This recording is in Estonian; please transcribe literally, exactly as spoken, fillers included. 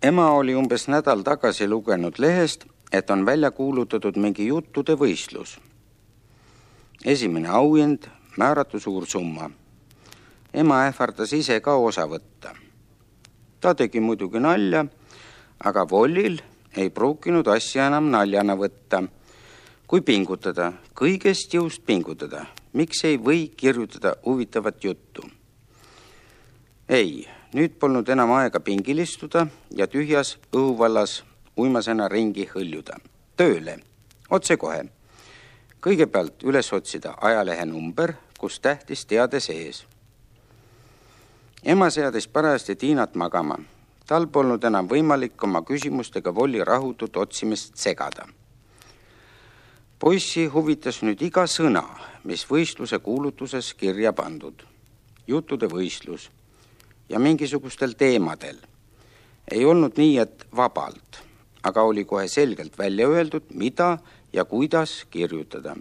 Ema oli umbes nädal tagasi lugenud lehest, et on välja kuulutatud mingi juttude võistlus. Esimene auhind, määratu suur summa. Ema ähvardas ise ka osa võtta. Ta tegi muidugi nalja, aga Vollil ei pruukinud asja enam naljana võtta. Kui pingutada, kõigest jõust pingutada, miks ei või kirjutada huvitavat juttu? Ei, nüüd polnud enam aega pingilistuda ja tühjas õhuvallas uimasena ringi hõljuda. Tööle, otse kohe. Kõigepealt üles otsida ajalehe number, kus tähtis teade sees. Ema seadis parajasti Tiinat magama. Tal polnud enam võimalik oma küsimustega Volli rahutut otsimist segada. Poissi huvitas nüüd iga sõna, mis võistluse kuulutuses kirja pandud. Juttude võistlus ja mingisugustel teemadel. Ei olnud nii, et vabalt, aga oli kohe selgelt välja öeldud, mida ja kuidas kirjutada.